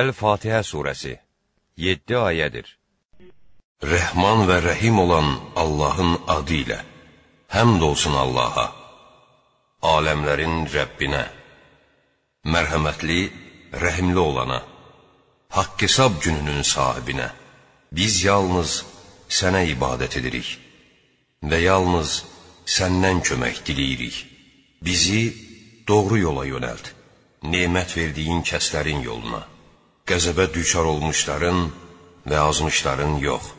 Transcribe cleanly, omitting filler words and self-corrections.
Əl-Fatihə surəsi 7 ayədir. Rəhman və Rəhim olan Allahın adı ilə, həmd olsun Allaha, aləmlərin Rəbbinə, mərhəmətli, rəhimli olana, haqq hesab gününün sahibinə. Biz yalnız sənə ibadət edirik və yalnız səndən kömək diləyirik. Bizi doğru yola yönəlt, nemət verdiyin kəslərin yoluna, qəzəbə düçar olmuşların və azmışların yox.